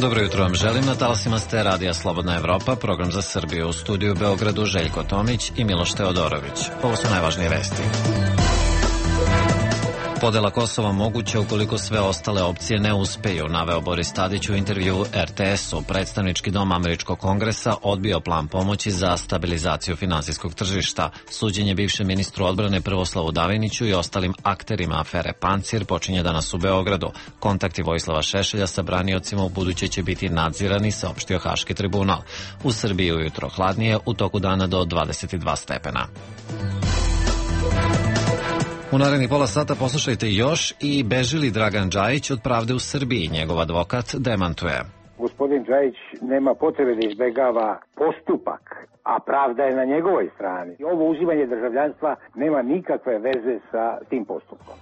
Dobro jutro vam želim, na talasima ste Radija Slobodna Evropa, program za Srbiju, u studiju u Beogradu Željko Tomić i Miloš Teodorović. Ovo su najvažnije vesti. Podela Kosova moguća ukoliko sve ostale opcije ne uspeju, naveo Boris Tadić u intervju RTS-u. Predstavnički dom Američkog kongresa odbio plan pomoći za stabilizaciju finansijskog tržišta. Suđenje bivšem ministru odbrane Prvoslavu Daviniću i ostalim akterima afere Pancir počinje danas u Beogradu. Kontakti Vojislava Šešelja sa braniocima u buduće će biti nadzirani, saopštio Haški tribunal. U Srbiji ujutro hladnije, u toku dana do 22 stepena. U narednih pola sata poslušajte još i beži li Dragan Džajić od pravde u Srbiji, njegov advokat demantuje. Gospodin Džajić nema potrebe da izbegava postupak, a pravda je na njegovoj strani. Ovo uzimanje državljanstva nema nikakve veze sa tim postupkom.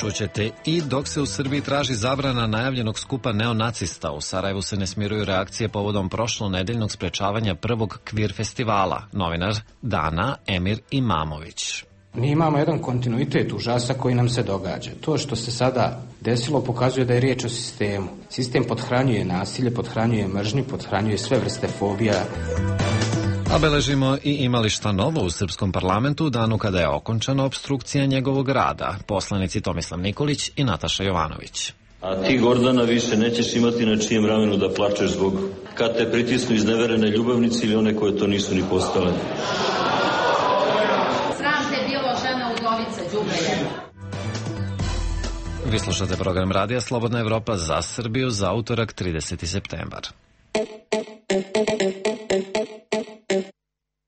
Čućete i dok se u Srbiji traži zabrana najavljenog skupa neonacista, u Sarajevu se ne smiruju reakcije povodom prošlonedeljnog sprečavanja prvog kvir festivala. Novinar Dana Emir Imamović. Mi imamo jedan kontinuitet užasa koji nam se događa. To što se sada desilo pokazuje da je riječ o sistemu. Sistem pothranjuje nasilje, pothranjuje mržnju, pothranjuje sve vrste fobija. A beležimo i imali šta novo u srpskom parlamentu u danu kada je okončana opstrukcija njegovog rada. Poslanici Tomislav Nikolić i Nataša Jovanović. A ti, Gordana, više nećeš imati na čijem ramenu da plačeš zbog kad te pritisnu izneverene ljubavnici ili one koje to nisu ni postale. Vi slušate program Radija Slobodna Evropa za Srbiju za utorak 30. septembar.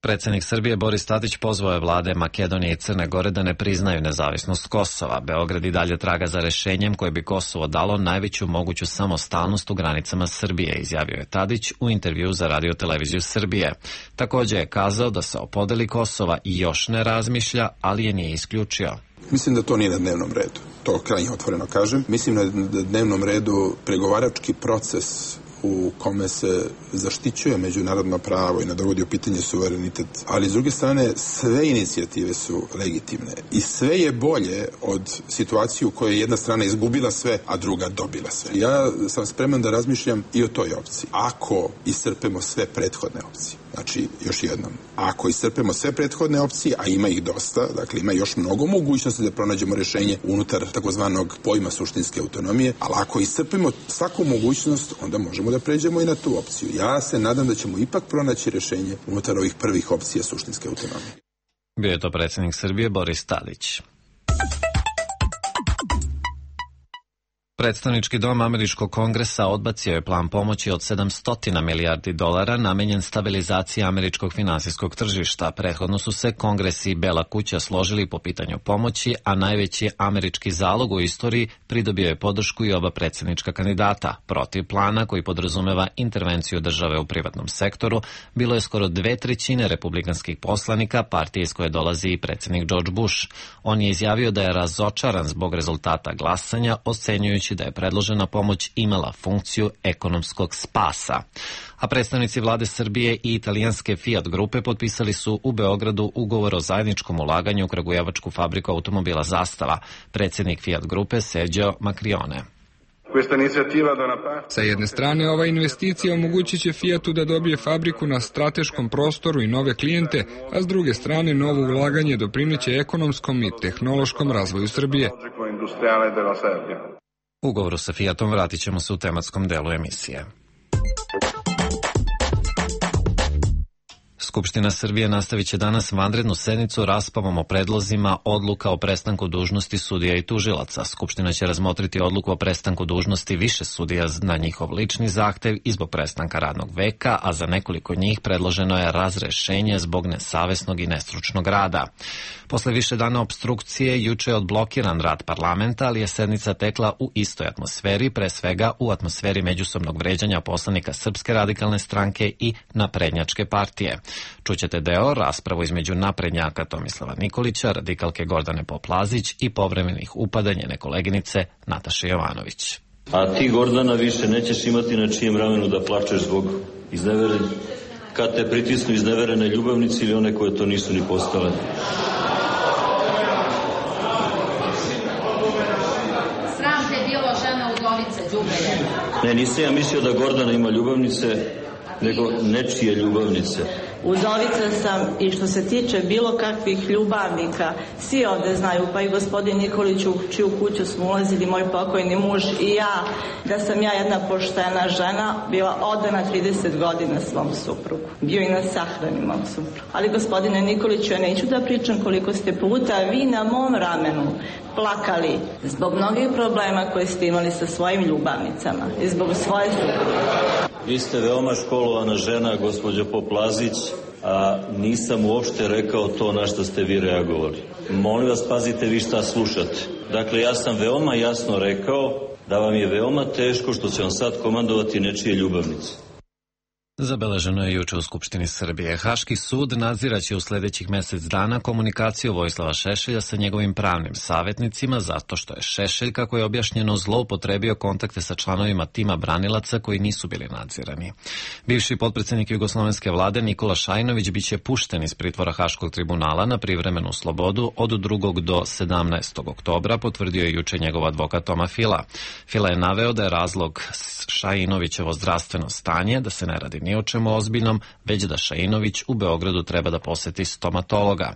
Predsednik Srbije Boris Tadić pozvao je vlade Makedonije i Crne Gore da ne priznaju nezavisnost Kosova. Beograd i dalje traga za rešenjem koje bi Kosovo dalo najveću moguću samostalnost u granicama Srbije, izjavio je Tadić u intervju za Radio televiziju Srbije. Takođe je kazao da se o podeli Kosova i još ne razmišlja, ali je nije isključio. Mislim da to nije na dnevnom redu. To krajnje otvoreno kažem. Mislim da je na dnevnom redu pregovarački proces u kome se zaštićuje međunarodno pravo i ne dovodi u pitanje suverenitet. Ali s druge strane, sve inicijative su legitimne i sve je bolje od situacije u kojoj je jedna strana izgubila sve, a druga dobila sve. Ja sam spreman da razmišljam i o toj opciji. Ako iscrpemo sve prethodne opcije. Znači, još jednom, ako iscrpemo sve prethodne opcije, a ima ih dosta, dakle ima još mnogo mogućnosti da pronađemo rešenje unutar takozvanog pojma suštinske autonomije, ali ako iscrpimo svaku mogućnost, onda možemo da pređemo i na tu opciju. Ja se nadam da ćemo ipak pronaći rešenje unutar ovih prvih opcija suštinske autonomije. Bio je to predsjednik Srbije Boris Tadić. Predstavnički dom Američkog kongresa odbacio je plan pomoći od $700 milijardi namenjen stabilizaciji američkog finansijskog tržišta. Prethodno su se Kongres i Bela kuća složili po pitanju pomoći, a najveći američki zalog u istoriji pridobio je podršku i oba predsjednička kandidata. Protiv plana, koji podrazumeva intervenciju države u privatnom sektoru, bilo je skoro 2/3 republikanskih poslanika, partije iz koje dolazi i predsjednik George Bush. On je izjavio da je razočaran zbog rezultata glasanja, ocenjujući da je predložena pomoć imala funkciju ekonomskog spasa. A predstavnici vlade Srbije i italijanske Fiat grupe potpisali su u Beogradu ugovor o zajedničkom ulaganju u kragujevačku fabriku automobila Zastava. Predsjednik Fiat grupe Sergio Macrione. Sa jedne strane, ova investicija omogućit će Fiatu da dobije fabriku na strateškom prostoru i nove klijente, a s druge strane, novo ulaganje doprineće ekonomskom i tehnološkom razvoju Srbije. U ugovoru sa Fiatom vratit ćemo se u tematskom delu emisije. Skupština Srbije nastavit će danas vanrednu sednicu raspravom o predlozima odluka o prestanku dužnosti sudija i tužilaca. Skupština će razmotriti odluku o prestanku dužnosti više sudija na njihov lični zahtev i zbog prestanka radnog veka, a za nekoliko njih predloženo je razrešenje zbog nesavesnog i nestručnog rada. Posle više dana opstrukcije, juče je odblokiran rad parlamenta, ali je sednica tekla u istoj atmosferi, pre svega u atmosferi međusobnog vređanja poslanika Srpske radikalne stranke i Naprednjačke partije. Čućete deo raspravu između naprednjaka Tomislava Nikolića, radikalke Gordane Poplazić i povremenih upada njene koleginice Nataše Jovanović. A ti, Gordana, više nećeš imati na čijem ramenu da plačeš zbog izneverene, kad te pritisnu izneverene ljubavnici ili one koje to nisu ni postale. nisam ja mislio da Gordana ima ljubavnice, nego nečije ljubavnice. Udovica sam i što se tiče bilo kakvih ljubavnika, svi ovde znaju, pa i gospodin Nikolić u čiju kuću smo ulazili, moj pokojni muž i ja, da sam ja jedna poštena žena, bila odana 30 godina svom suprugu. Bio i na sahrani mom suprugu. Ali gospodine Nikoliću, ja neću da pričam koliko ste puta vi na mom ramenu plakali zbog mnogih problema koje ste imali sa svojim ljubavnicama i zbog svoje supruge. Vi ste veoma školovana žena, gospođo Poplazić, a nisam uopšte rekao to na što ste vi reagovali. Molim vas, pazite vi šta slušate. Dakle, ja sam veoma jasno rekao da vam je veoma teško što će vam sad komandovati nečije ljubavnice. Zabeleženo je juče u Skupštini Srbije. Haški sud nadziraće u sledećih mesec dana komunikaciju Vojislava Šešelja sa njegovim pravnim savjetnicima zato što je Šešelj, kako je objašnjeno, zloupotrebio kontakte sa članovima tima branilaca koji nisu bili nadzirani. Bivši potpredsednik jugoslovenske vlade Nikola Šajinović biće pušten iz pritvora Haškog tribunala na privremenu slobodu od 2. do 17. oktobra, potvrdio je juče njegov advokat Toma Fila. Fila je naveo da je razlog Šajinovićevo zdravstveno stanje, da se ne radi ni o čemu ozbiljnom, već da Šajinović u Beogradu treba da poseti stomatologa.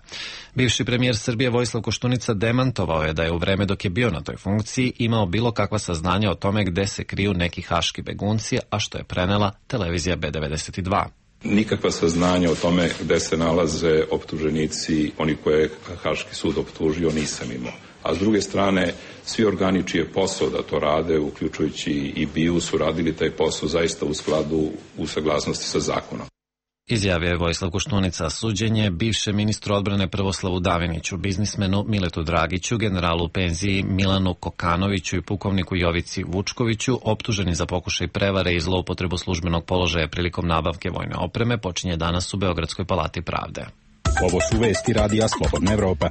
Bivši premijer Srbije Vojislav Koštunica demantovao je da je u vreme dok je bio na toj funkciji imao bilo kakva saznanja o tome gde se kriju neki haški begunci, a što je prenela televizija B92. Nikakva saznanja o tome gde se nalaze optuženici, oni koje je Haški sud optužio, nisam imao. A s druge strane, svi organi čiji je posao da to rade, uključujući i BIA, su radili taj posao zaista u skladu, u saglasnosti sa zakonom. Izjavio je Vojislav Koštunica. Suđenje bivšem ministru odbrane Prvoslavu Daviniću, biznismenu Miletu Dragiću, generalu u penziji Milanu Kokanoviću i pukovniku Jovici Vučkoviću, optuženi za pokušaj prevare i zloupotrebu službenog položaja prilikom nabavke vojne opreme, počinje danas u Beogradskoj palati pravde. Ovo su vesti Radija Slobodna Evropa.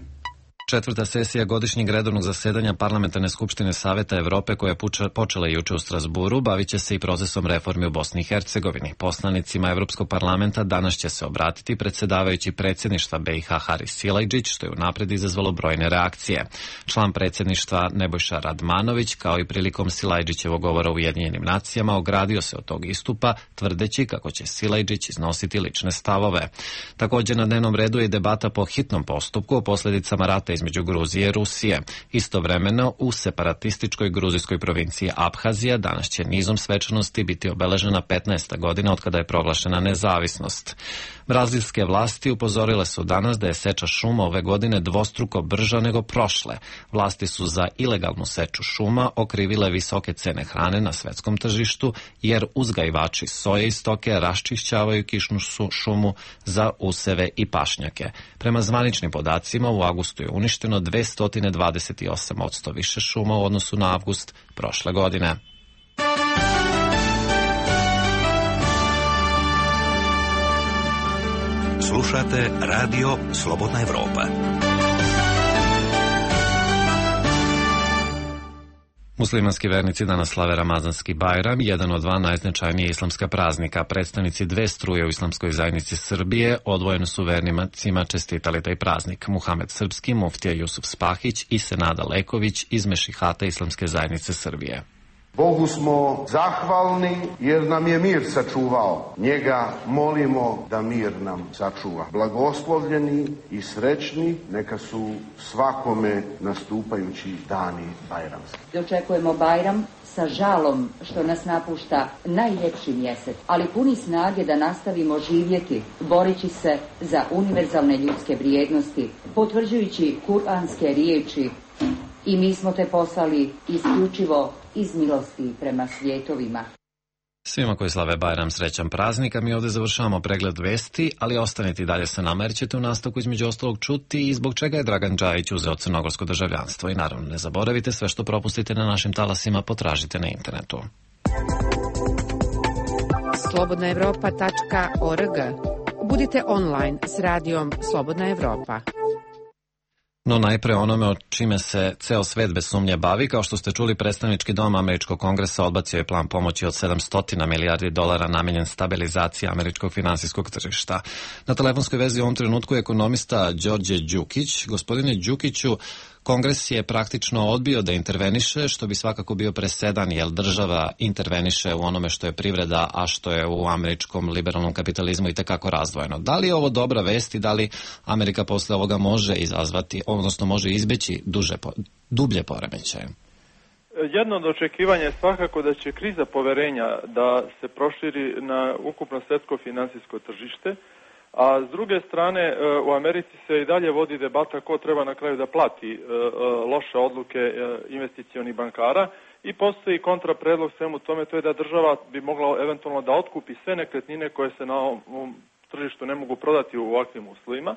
Četvrta sesija godišnjeg redovnog zasedanja Parlamentarne skupštine Saveta Evrope, koja je počela juče u Strasburu, bavit će se i procesom reformi u Bosni i Hercegovini. Poslanicima Evropskog parlamenta danas će se obratiti predsjedavajući predsjedništva BiH Haris Silajdžić, što je unapred izazvalo brojne reakcije. Član predsjedništva Nebojša Radmanović, kao i prilikom Silajdžićevog govora u Ujedinjenim nacijama, ogradio se od tog istupa, tvrdeći kako će Silajdžić iznositi lične stavove. Također na dnevnom redu je debata po hitnom postupku o posljedicama rata između Gruzije i Rusije. Istovremeno, u separatističkoj gruzijskoj provinciji Abhazija danas će nizom svečanosti biti obeležena 15. godina od kada je proglašena nezavisnost. Brazilske vlasti upozorile su danas da je seča šuma ove godine dvostruko brža nego prošle. Vlasti su za ilegalnu seču šuma okrivile visoke cene hrane na svetskom tržištu, jer uzgajivači soje i stoke raščišćavaju kišnu šumu za useve i pašnjake. Prema zvaničnim podacima, u avgustu je uništeno 228% više šuma u odnosu na avgust prošle godine. Slušate Radio Slobodna Evropa. Muslimanski vernici danas slave Ramazanski Bajram, jedan od dva najznačajnije islamska praznika. Predstavnici dve struje u islamskoj zajednici Srbije odvojeno su vernicima čestitali taj praznik. Muhamed Srpski, muftija Jusuf Spahić i Senada Leković iz Mešihata Islamske zajednice Srbije. Bogu smo zahvalni jer nam je mir sačuvao. Njega molimo da mir nam sačuva. Blagoslovljeni i srećni neka su svakome nastupajući dani bajramski. Dočekujemo Bajram sa žalom što nas napušta najljepši mjesec, ali puni snage da nastavimo živjeti, boreći se za univerzalne ljudske vrijednosti, potvrđujući kuranske riječi: i mi smo te poslali isključivo iz milosti prema svijetovima. Svima koji slave Bajram srećan praznik, a mi ovdje završavamo pregled vesti, ali ostanite i dalje sa nama jer ćete u nastavku između ostalog čuti i zbog čega je Dragan Džajić uzeo crnogorsko državljanstvo. I naravno ne zaboravite, sve što propustite na našim talasima potražite na internetu. slobodnaevropa.org. Budite online s radijom Slobodna Evropa. No najpre onome o čime se ceo svet bez sumnje bavi. Kao što ste čuli, predstavnički dom Američkog kongresa odbacio je plan pomoći od $700 milijardi namenjen stabilizaciji američkog finansijskog tržišta. Na telefonskoj vezi u ovom trenutku je ekonomista Đorđe Đukić. Gospodine Đukiću, Kongres je praktično odbio da interveniše, što bi svakako bio presedan, jer država interveniše u onome što je privreda, a što je u američkom liberalnom kapitalizmu i tekako razdvojeno. Da li je ovo dobra vest i da li Amerika posle ovoga može izazvati, odnosno može izbeći dublje poremećaje? Jedno od očekivanja je svakako da će kriza poverenja da se proširi na ukupno svetsko finansijsko tržište, a s druge strane u Americi se i dalje vodi debata ko treba na kraju da plati loše odluke investicionih bankara i postoji kontrapredlog svemu tome, to je da država bi mogla eventualno da otkupi sve nekretnine koje se na ovom tržištu ne mogu prodati u ovakvim uslovima.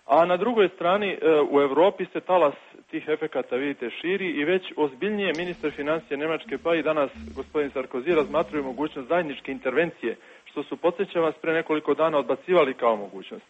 A na drugoj strani u Evropi se talas tih efekata, vidite, širi i već ozbiljnije ministar financija Nemačke pa i danas gospodin Sarkozy razmatraju mogućnost zajedničke intervencije, što su, podsjećam vas, pre nekoliko dana odbacivali kao mogućnost.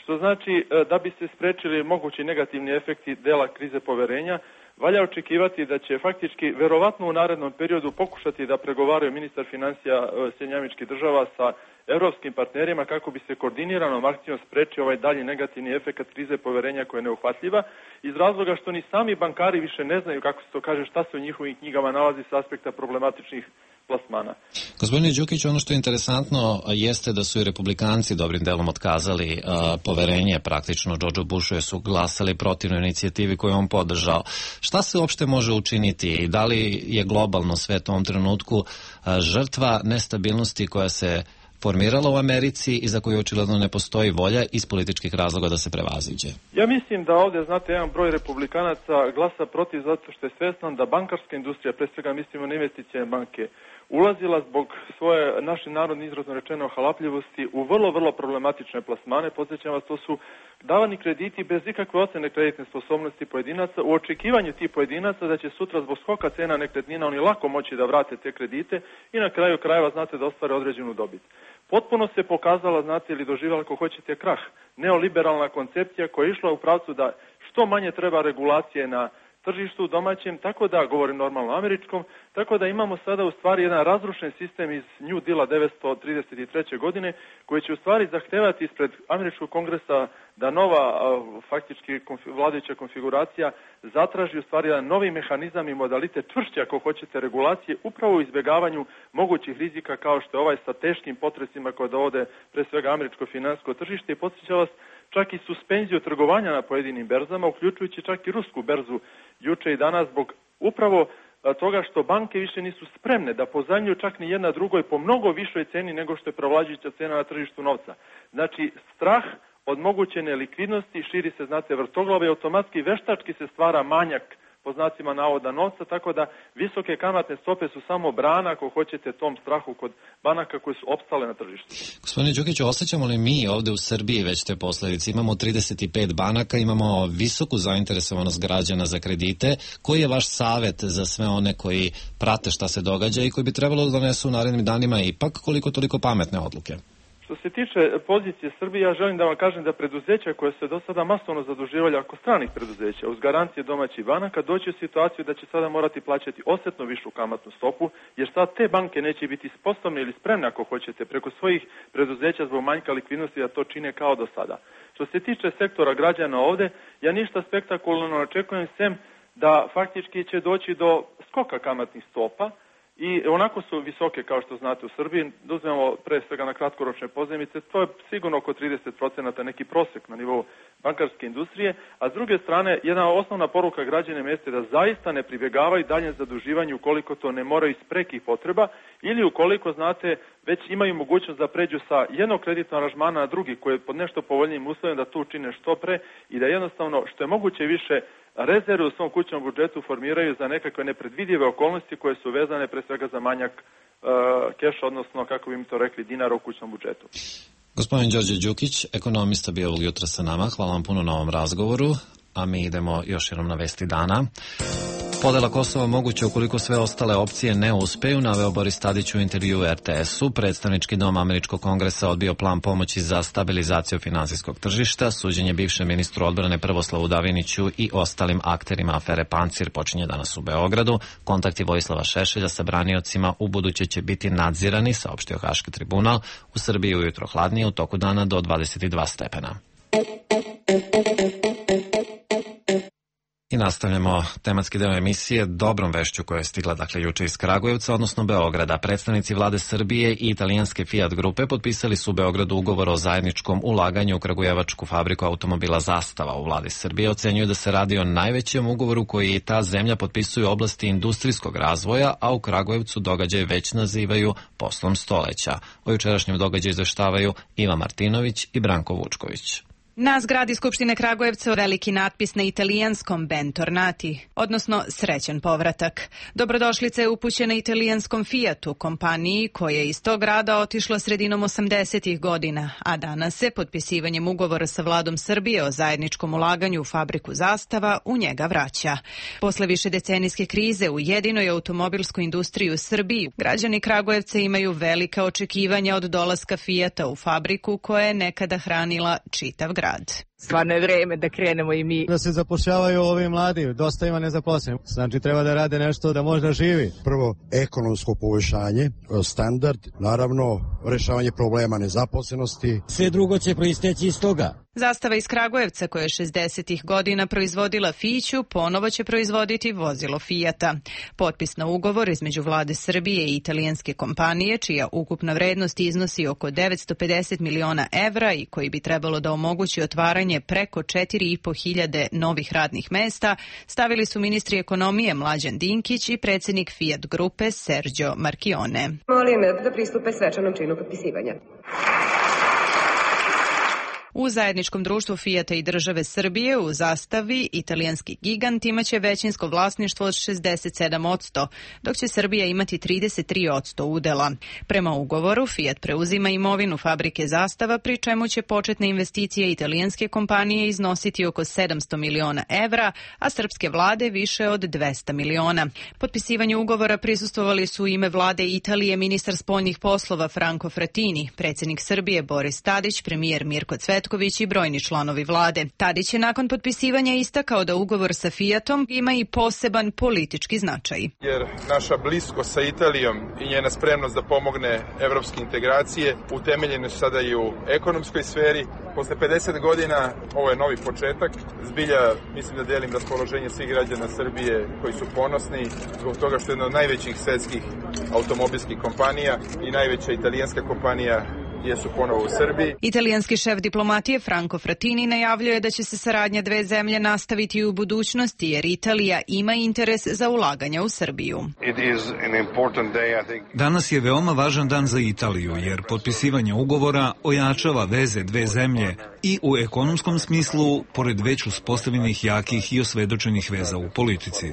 Što znači da bi se sprečili mogući negativni efekti dela krize poverenja, valja očekivati da će faktički verovatno u narednom periodu pokušati da pregovaraju ministar financija Sjedinjenih Država sa evropskim partnerima kako bi se koordiniranom akcijom sprečio ovaj dalji negativni efekt krize poverenja koja je neuhvatljiva, iz razloga što ni sami bankari više ne znaju, kako se to kaže, šta se u njihovim knjigama nalazi s aspekta problematičnih plasmana. Gospodine Đukić, ono što je interesantno jeste da su i republikanci dobrim delom otkazali poverenje praktično Georgeu Bushu, jer su glasali protivno inicijativi koju on podržao. Šta se uopšte može učiniti i da li je globalno svet u ovom trenutku žrtva nestabilnosti koja se formirala u Americi i za koju očigledno ne postoji volja iz političkih razloga da se prevaziđe? Ja mislim da ovdje, znate, jedan broj republikanaca glasa protiv zato što je svestan da bankarska industrija, pre svega mislimo na investicijne banke, ulazila zbog svoje, našim narodni izrazno rečeno, halapljivosti u vrlo problematične plasmane. Podsjećam vas, to su davani krediti bez ikakve ocene kreditne sposobnosti pojedinaca u očekivanju tih pojedinaca da će sutra zbog skoka cena nekretnina oni lako moći da vrate te kredite i na kraju krajeva, znate, da ostvare određenu dobit. Potpuno se pokazala, znate, ili doživjela, ako hoćete, krah. Neoliberalna koncepcija koja je išla u pravcu da što manje treba regulacije na tržištu domaćem, tako da, govorim normalno američkom, tako da imamo sada u stvari jedan razrušen sistem iz New Deala 1933. godine koji će u stvari zahtevati ispred američkog kongresa da nova faktički vladajuća konfiguracija zatraži u stvari jedan novi mehanizam i modalitet čvršće, ako hoćete, regulacije upravo u izbjegavanju mogućih rizika kao što je ovaj sa teškim potresima koje dovode pre svega američko financijsko tržište i podsjeća vas čak i suspenziju trgovanja na pojedinim berzama, uključujući čak i rusku berzu juče i danas zbog upravo toga što banke više nisu spremne da pozajmljuju čak ni jedna drugoj po mnogo višoj ceni nego što je prevlađujuća cena na tržištu novca. Znači, strah od moguće nelikvidnosti širi se, znate, vrtoglavo i automatski veštački se stvara manjak po znacima navoda novca, tako da visoke kamatne stope su samo brana, ako hoćete, tom strahu kod banaka koje su opstale na tržištu. Gospodine Đukiću, osjećamo li mi ovde u Srbiji već te posledice? Imamo 35 banaka, imamo visoku zainteresovanost građana za kredite. Koji je vaš savet za sve one koji prate šta se događa i koji bi trebalo da donesu u narednim danima ipak koliko toliko pametne odluke? Što se tiče pozicije Srbije, ja želim da vam kažem da preduzeća koje se do sada masovno zaduživali ako stranih preduzeća uz garancije domaćih banaka doći u situaciju da će sada morati plaćati osetno višu kamatnu stopu, jer sad te banke neće biti sposobne ili spremne, ako hoćete, preko svojih preduzeća zbog manjka likvidnosti da to čine kao do sada. Što se tiče sektora građana ovde, ja ništa spektakularno ne očekujem, sem da faktički će doći do skoka kamatnih stopa, i onako su visoke, kao što znate, u Srbiji. Da uzmemo pre svega na kratkoročne pozajmice, to je sigurno oko 30% neki prosek na nivou bankarske industrije, a s druge strane, jedna osnovna poruka građanima jeste da zaista ne pribjegavaju daljem zaduživanju ukoliko to ne moraju iz prekih potreba ili ukoliko, znate, već imaju mogućnost da pređu sa jednog kreditnog aranžmana na drugi koji je pod nešto povoljnijim uslovima da to učine što pre i da jednostavno što je moguće više rezerve u svom kućnom budžetu formiraju za nekakve nepredvidive okolnosti koje su vezane pre svega za manjak keša, odnosno, kako bi mi to rekli, dinara u kućnom budžetu. Gospodin Đorđe Đukić, ekonomista, bio ovog jutra sa nama. Hvala vam puno na ovom razgovoru, a mi idemo još jednom na vesti dana. Podela Kosova moguće ukoliko sve ostale opcije ne uspeju, naveo Boris Tadić u intervju RTS-u. Predstavnički dom Američkog kongresa odbio plan pomoći za stabilizaciju finansijskog tržišta. Suđenje bivšem ministru odbrane Prvoslavu Daviniću i ostalim akterima afere Pancir počinje danas u Beogradu. Kontakti Vojislava Šešelja sa braniocima u buduće će biti nadzirani, saopštio Haški tribunal. U Srbiji ujutro hladnije, u toku dana do 22 stepena. I nastavljamo tematski deo emisije dobrom vešću koja je stigla juče iz Kragujevca, odnosno Beograda. Predstavnici vlade Srbije i italijanske Fiat grupe potpisali su u Beogradu ugovor o zajedničkom ulaganju u kragujevačku fabriku automobila Zastava. U vladi Srbije ocenjuju da se radi o najvećem ugovoru koji i ta zemlja potpisuje u oblasti industrijskog razvoja, a u Kragujevcu događaj već nazivaju poslom stoleća. O jučerašnjem događaju izveštavaju Iva Martinović i Branko Vučković. Na zgradi Skupštine Kragujevca veliki natpis na italijanskom Bentornati, odnosno srećan povratak. Dobrodošlica je upućena italijanskom Fiatu, kompaniji koja je iz tog grada otišla sredinom 80-ih godina, a danas se potpisivanjem ugovora sa vladom Srbije o zajedničkom ulaganju u fabriku Zastava u njega vraća. Posle višedecenijske krize u jedinoj automobilskoj industriji u Srbiji, građani Kragujevca imaju velika očekivanja od dolaska Fiata u fabriku koja je nekada hranila čitav grad. Stvarno je vreme da krenemo i mi. Da se zapošljavaju ovi mladi, dosta ima nezaposlenih. Znači treba da rade nešto da možda živi. Prvo, ekonomsko poboljšanje, standard, naravno rešavanje problema nezaposlenosti. Sve drugo će proisteći iz toga. Zastava iz Kragujevca, koja je 60-ih godina proizvodila Fiću, ponovo će proizvoditi vozilo Fijata. Potpis na ugovor između vlade Srbije i italijanske kompanije, čija ukupna vrednost iznosi oko 950 miliona evra i koji bi trebalo da omogući otvaranje preko 4.500 novih radnih mesta, stavili su ministri ekonomije Mlađan Dinkić i predsjednik Fiat grupe Sergio Marchione. Molim da pristupe svečanom činu potpisivanja. U zajedničkom društvu Fijata i države Srbije u Zastavi italijanski gigant imaće većinsko vlasništvo od 67%, dok će Srbija imati 33% udela. Prema ugovoru Fiat preuzima imovinu fabrike Zastava, pri čemu će početne investicije italijanske kompanije iznositi oko 700 miliona evra, a srpske vlade više od 200 miliona. Potpisivanju ugovora prisustvovali su u ime vlade Italije ministar spoljnih poslova Franco Frattini, predsjednik Srbije Boris Tadić, premijer Mirko Cvetković i brojni članovi vlade. Tadić je nakon potpisivanja istakao da ugovor sa Fiatom ima i poseban politički značaj. Jer naša bliskost sa Italijom i njena spremnost da pomogne evropske integracije utemeljene su sada i u ekonomskoj sferi. Posle 50 godina ovo je novi početak. Zbilja mislim da delim raspoloženje svih građana Srbije koji su ponosni zbog toga što je jedna od najvećih svetskih automobilskih kompanija i najveća italijanska kompanija jesu ponovo u Srbiji. Italijanski šef diplomatije Franco Frattini najavljuje da će se saradnja dve zemlje nastaviti u budućnosti, jer Italija ima interes za ulaganja u Srbiju. Danas je veoma važan dan za Italiju, jer potpisivanje ugovora ojačava veze dve zemlje i u ekonomskom smislu, pored već uspostavljenih jakih i osvedočenih veza u politici.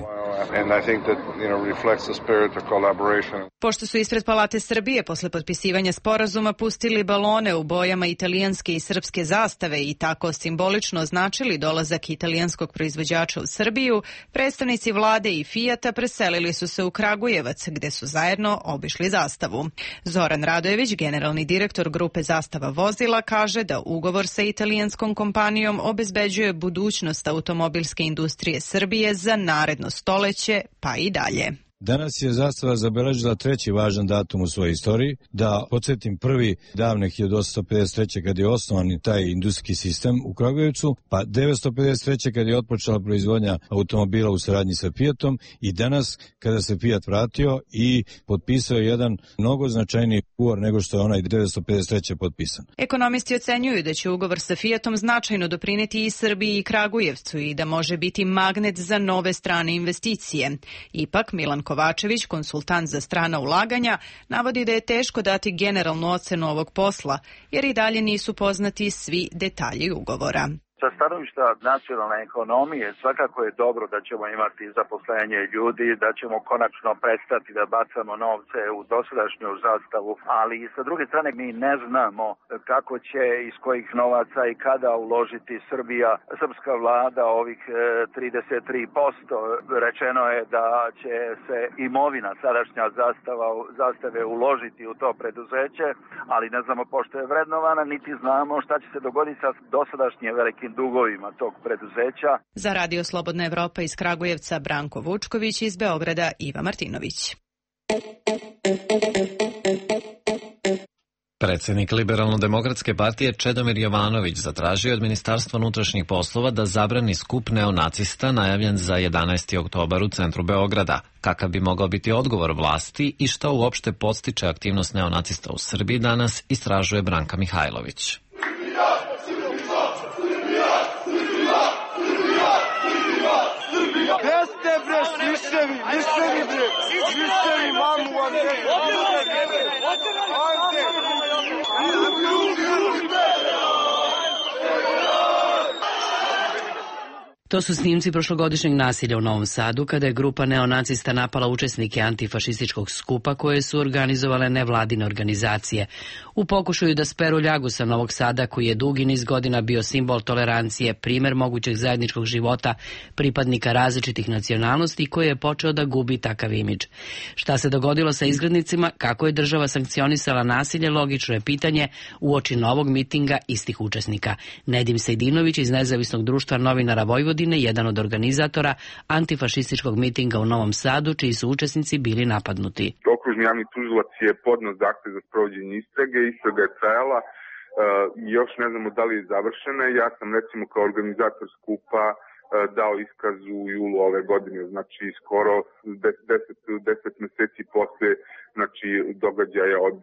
Pošto su ispred Palate Srbije posle potpisivanja sporazuma pustili balone u bojama italijanske i srpske zastave i tako simbolično označili dolazak italijanskog proizvođača u Srbiju, predstavnici vlade i Fijata preselili su se u Kragujevac, gde su zajedno obišli Zastavu. Zoran Radojević, generalni direktor grupe Zastava vozila, kaže da ugovor sa italijanskom kompanijom obezbeđuje budućnost automobilske industrije Srbije za naredno stoleće, pa i dalje. Danas je Zastava zabeležila treći važan datum u svojoj istoriji. Da podsjetim, prvi davne 1853. kad je osnovan taj industrijski sistem u Kragujevcu, pa 1953. kad je otpočela proizvodnja automobila u saradnji sa Fiatom i danas kada se Fiat vratio i potpisao jedan mnogo značajniji ugovor nego što je onaj 1953. potpisan. Ekonomisti ocenjuju da će ugovor sa Fiatom značajno doprineti i Srbiji i Kragujevcu i da može biti magnet za nove strane investicije. Ipak Milan Kovačević, konsultant za strana ulaganja, navodi da je teško dati generalnu ocenu ovog posla, jer i dalje nisu poznati svi detalji ugovora. Sa stanovišta nacionalne ekonomije svakako je dobro da ćemo imati zaposlenje ljudi, da ćemo konačno prestati da bacamo novce u dosadašnju Zastavu, ali sa druge strane mi ne znamo kako će, iz kojih novaca i kada uložiti Srbija, srpska vlada ovih 33%. Rečeno je da će se imovina sadašnja Zastave uložiti u to preduzeće, ali ne znamo pošto je vrednovana, niti znamo šta će se dogoditi sa dosadašnje velikim dugovima tog preduzeća. Za Radio Slobodna Evropa iz Kragujevca Branko Vučković, iz Beograda Iva Martinović. Predsjednik Liberalno-demokratske partije Čedomir Jovanović zatražio od Ministarstva unutrašnjih poslova da zabrani skup neonacista najavljen za 11. oktobar u centru Beograda. Kakav bi mogao biti odgovor vlasti i šta uopšte podstiče aktivnost neonacista u Srbiji danas, istražuje Branka Mihajlović. To su snimci prošlogodišnjeg nasilja u Novom Sadu, kada je grupa neonacista napala učesnike antifašističkog skupa koje su organizovale nevladine organizacije. U pokušaju da speru ljagu sa Novog Sada, koji je dugi niz godina bio simbol tolerancije, primer mogućeg zajedničkog života pripadnika različitih nacionalnosti, koji je počeo da gubi takav imidž. Šta se dogodilo sa izgrednicima, kako je država sankcionisala nasilje, logično je pitanje uoči novog mitinga istih učesnika. Nedim Sejdinović iz Nezavisnog društva novinara Vojvodine, jedan od organizatora antifašističkog mitinga u Novom Sadu, čiji su učesnici bili napadnuti. Okružni javni tužilac je podneo zahtev za sprovođenje istrage, istraga je trajala, još ne znamo da li je završena. Ja sam recimo kao organizator skupa dao iskaz u julu ove godine, znači skoro 10 meseci posle događaja od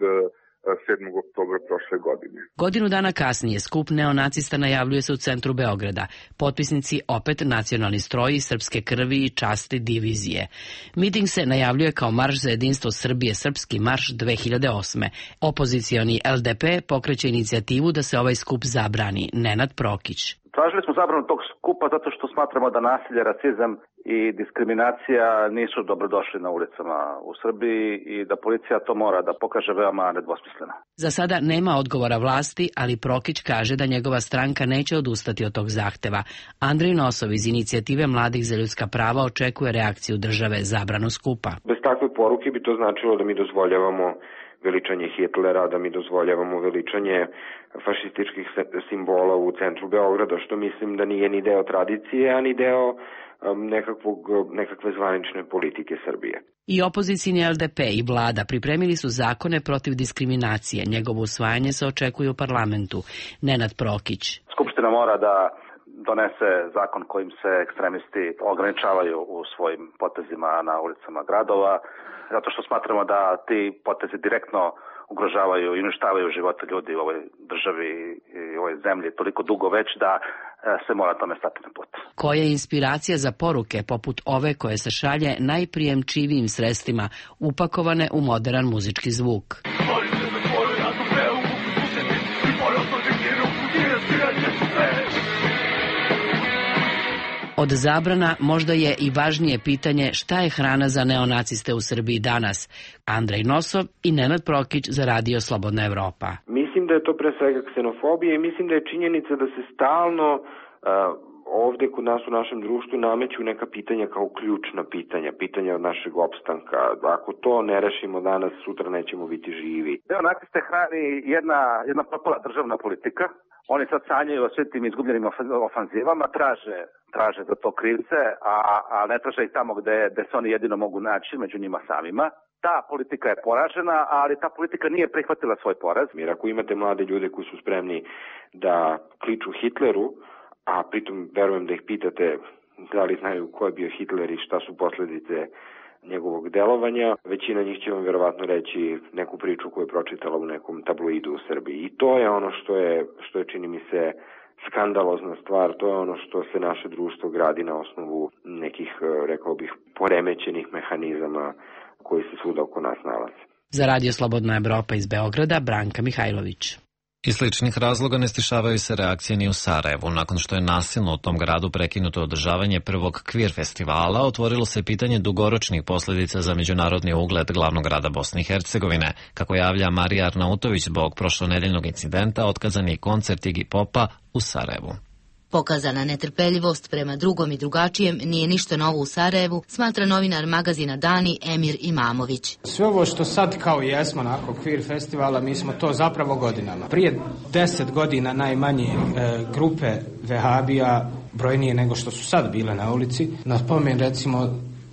7. oktobra prošle godine. Godinu dana kasnije skup neonacista najavljuje se u centru Beograda. Potpisnici opet nacionalni stroji, srpske krvi i časti divizije. Miting se najavljuje kao marš za jedinstvo Srbije, srpski marš 2008. Opozicioni LDP pokreće inicijativu da se ovaj skup zabrani. Nenad Prokić. Tražili smo zabranu tog skupa zato što smatramo da nasilje, rasizam i diskriminacija nisu dobrodošli na ulicama u Srbiji i da policija to mora da pokaže veoma nedvosmisleno. Za sada nema odgovora vlasti, ali Prokić kaže da njegova stranka neće odustati od tog zahteva. Andrej Nosov iz inicijative Mladih za ljudska prava očekuje reakciju države zabranu skupa. Bez takve poruke bi to značilo da mi dozvoljavamo veličanje Hitlera, da mi dozvoljavamo veličanje fašističkih simbola u centru Beograda, što mislim da nije ni deo tradicije, a ni deo nekakve zvanične politike Srbije. I opozicijni LDP i vlada pripremili su zakone protiv diskriminacije. Njegovo usvajanje se očekuje u parlamentu. Nenad Prokić. Skupština mora da donese zakon kojim se ekstremisti ograničavaju u svojim potezima na ulicama gradova, zato što smatramo da ti potezi direktno ugrožavaju i uništavaju živote ljudi u ovoj državi i ovoj zemlji toliko dugo već da se mora tome stati na put. Koja je inspiracija za poruke poput ove koje se šalje najprijemčivijim sredstvima, upakovane u modern muzički zvuk? Od zabrana možda je i važnije pitanje šta je hrana za neonaciste u Srbiji danas. Andrej Nosov i Nenad Prokić za Radio Slobodna Evropa. Mislim da je to pre svega ksenofobija i mislim da je činjenica da se stalno ovde kod nas u našem društvu nameću neka pitanja kao ključna pitanja od našeg opstanka. Ako to ne rešimo danas, sutra nećemo biti živi. Neonaciste hrani jedna propala državna politika. Oni sad sanjaju o svim tim izgubljenim ofanzivama, traže za to krivce, a ne traže ih tamo gde se oni jedino mogu naći, među njima samima. Ta politika je poražena, ali ta politika nije prihvatila svoj poraz. Jer ako imate mlade ljude koji su spremni da kliču Hitleru, a pritom verujem da ih pitate da li znaju ko je bio Hitler i šta su posledice njegovog delovanja, većina njih će vam verovatno reći neku priču koju je pročitala u nekom tabloidu u Srbiji. I to je ono što je čini mi se skandalozna stvar, to je ono što se naše društvo gradi na osnovu nekih, rekao bih, poremećenih mehanizama koji se svuda oko nas nalaze. Za Radio Slobodna Evropa iz Beograda, Branka Mihajlović. Iz sličnih razloga ne stišavaju se reakcije ni u Sarajevu. Nakon što je nasilno u tom gradu prekinuto održavanje prvog Kvir festivala, otvorilo se pitanje dugoročnih posljedica za međunarodni ugled glavnog grada Bosne i Hercegovine. Kako javlja Marija Arnautović, zbog prošlonedeljnog incidenta otkazan je koncert Iggy Popa u Sarajevu. Pokazana netrpeljivost prema drugom i drugačijem nije ništa novo u Sarajevu, smatra novinar magazina Dani Emir Imamović. Sve ovo što sad kao jesmo nakon Kvir festivala, mi smo to zapravo godinama. Prije 10 godina najmanje grupe vehabija, brojnije nego što su sad bile na ulici. Na spomen recimo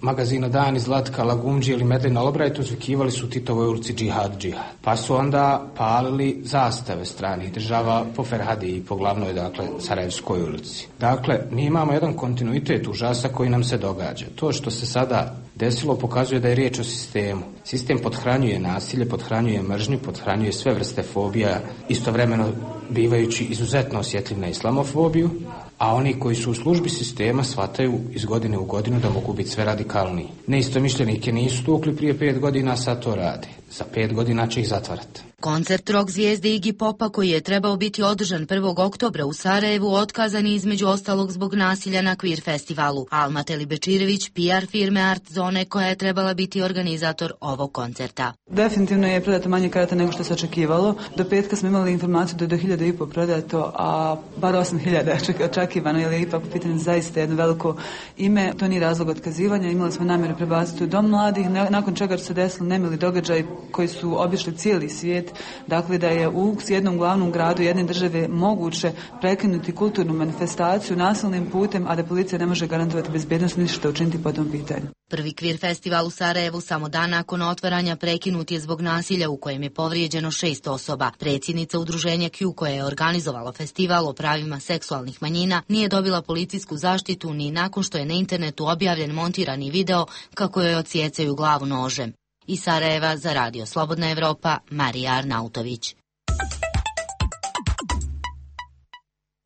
magazina Dani, Zlatka, Lagumđi ili Medlina Albright uzvikivali su Titovoj ulici džihad, džihad. Pa su onda palili zastave stranih država po Ferhadi i po glavnoj, dakle, Sarajevskoj ulici. Dakle, mi imamo jedan kontinuitet užasa koji nam se događa. To što se sada desilo pokazuje da je riječ o sistemu. Sistem pothranjuje nasilje, pothranjuje mržnju, pothranjuje sve vrste fobija, istovremeno bivajući izuzetno osjetljiv na islamofobiju, a oni koji su u službi sistema shvataju iz godine u godinu da mogu biti sve radikalniji. Neistomišljenike nisu tukli prije 5 godina, sad to rade. Za 5 godina će ih zatvarati. Koncert rock zvijezde Iggy Popa koji je trebao biti održan 1. oktobra u Sarajevu otkazan je između ostalog zbog nasilja na Queer festivalu. Alma Telibečirević, PR firme Art Zone koja je trebala biti organizator ovog koncerta. Definitivno je prodato manje karata nego što se očekivalo. Do petka smo imali informaciju da je do 1.500 prodato, a bar 8.000 je očekivano, jer je ipak u pitanju zaista jedno veliko ime. To nije razlog otkazivanja. Imali smo namjeru prebaciti u Dom mladih, nakon čega su se desili nemili događaj koji su obišli cijeli svijet. Dakle, da je u jednom glavnom gradu jedne države moguće prekinuti kulturnu manifestaciju nasilnim putem, a da policija ne može garantovati bezbednost ništa učiniti po tom pitanju. Prvi Queer festival u Sarajevu samo dan nakon otvaranja prekinut je zbog nasilja u kojem je povrijeđeno 6 osoba. Predsjednica udruženja Q koje je organizovalo festival o pravima seksualnih manjina nije dobila policijsku zaštitu ni nakon što je na internetu objavljen montirani video kako joj odsjecaju glavu nožem. Iz Sarajeva za Radio Slobodna Evropa, Marija Arnautović.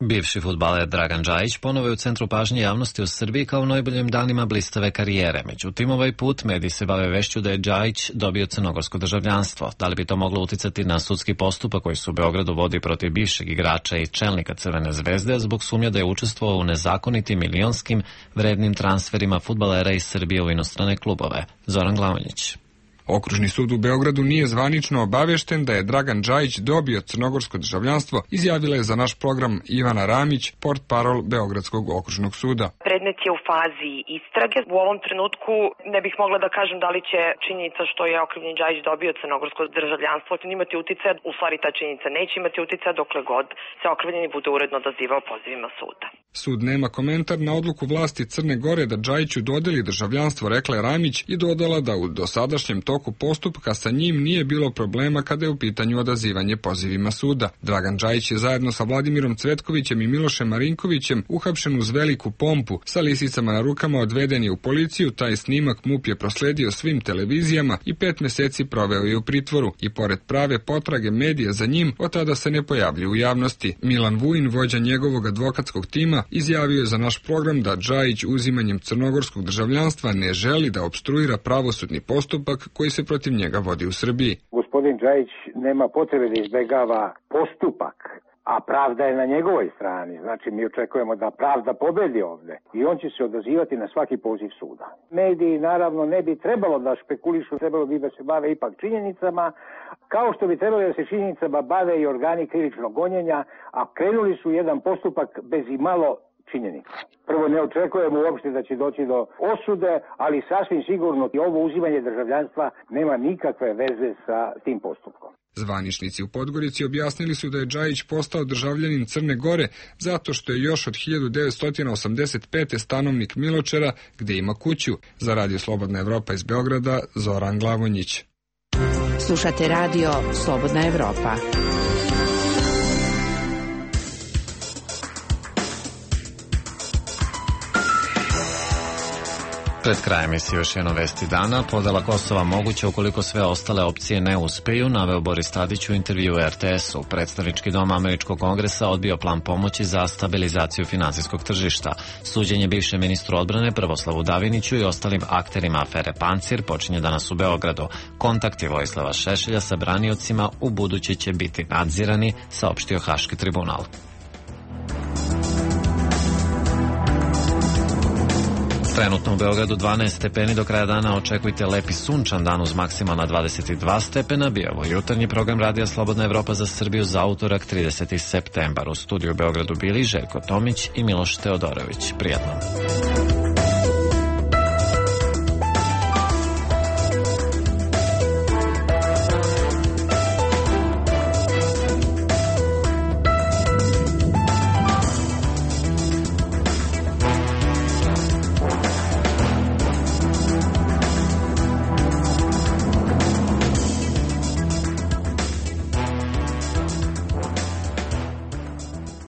Bivši fudbaler Dragan Džajić ponovo je u centru pažnje javnosti u Srbiji kao u najboljim danima blistave karijere. Međutim, ovaj put mediji se bave vešću da je Džajić dobio crnogorsko državljanstvo. Da li bi to moglo uticati na sudski postupak koji se u Beogradu vodi protiv bivšeg igrača i čelnika Crvene zvezde zbog sumnja da je učestvovao u nezakonitim milionskim vrednim transferima fudbalera iz Srbije u inostrane klubove? Zoran Glavonjić. Okružni sud u Beogradu nije zvanično obavešten da je Dragan Džajić dobio crnogorsko državljanstvo, izjavila je za naš program Ivana Ramić, portparol Beogradskog okružnog suda. Predmet je u fazi istrage. U ovom trenutku ne bih mogla da kažem da li će činjenica što je okrivljeni Džajić dobio crnogorsko državljanstvo imati uticaja. U stvari ta činjenica neće imati uticaja dokle god se okrivljeni bude uredno odazivao pozivima suda. Sud nema komentar na odluku vlasti Crne Gore da Džajiću dodeli državljanstvo, rekla je Ramić i dodala da u dosadašnjem toku postupka sa njim nije bilo problema kada je u pitanju odazivanje pozivima suda. Dragan Džajić je zajedno sa Vladimirom Cvetkovićem i Milošem Marinkovićem uhapšen uz veliku pompu. Sa lisicama na rukama odveden je u policiju, taj snimak MUP je prosledio svim televizijama i 5 meseci proveo je u pritvoru. I pored prave potrage medija za njim, od tada se ne pojavlja u javnosti. Milan Vujin, vođa njegovog advokatskog tima, izjavio je za naš program da Džajić uzimanjem crnogorskog državljanstva ne želi da opstruira pravosudni postupak koji se protiv njega vodi u Srbiji. Gospodin Džajić nema potrebe da izbegava postupak, a pravda je na njegovoj strani. Znači, mi očekujemo da pravda pobedi ovde i on će se odazivati na svaki poziv suda. Mediji, naravno, ne bi trebalo da špekulišu, trebalo bi da se bave ipak činjenicama, kao što bi trebalo da se činjenicama bave i organi krivičnog gonjenja, a krenuli su jedan postupak bez i malo činjenica. Prvo, ne očekujemo uopšte da će doći do osude, ali sasvim sigurno i ovo uzimanje državljanstva nema nikakve veze sa tim postupkom. Zvaničnici u Podgorici objasnili su da je Džajić postao državljanin Crne Gore zato što je još od 1985. stanovnik Miločara, gde ima kuću. Za Radio Slobodna Evropa iz Beograda, Zoran Glavonjić. Slušate Radio Slobodna Evropa. Pred krajem emisije još jedno vesti dana. Podela Kosova moguće ukoliko sve ostale opcije ne uspeju, naveo Boris Tadić u intervju u RTS-u. Predstavnički dom Američkog kongresa odbio plan pomoći za stabilizaciju finansijskog tržišta. Suđenje bivšem ministru odbrane Prvoslavu Daviniću i ostalim akterima afere Pancir počinje danas u Beogradu. Kontakti Vojislava Šešelja sa braniocima u buduće će biti nadzirani, saopštio Haški tribunal. Trenutno u Beogradu 12 stepeni, do kraja dana očekujte lepi sunčan dan uz maksimalna 22 stepena. Bio ovo jutarnji program Radija Slobodna Evropa za Srbiju za utorak 30. septembar. U studiju u Beogradu bili Željko Tomić i Miloš Teodorović. Prijatno.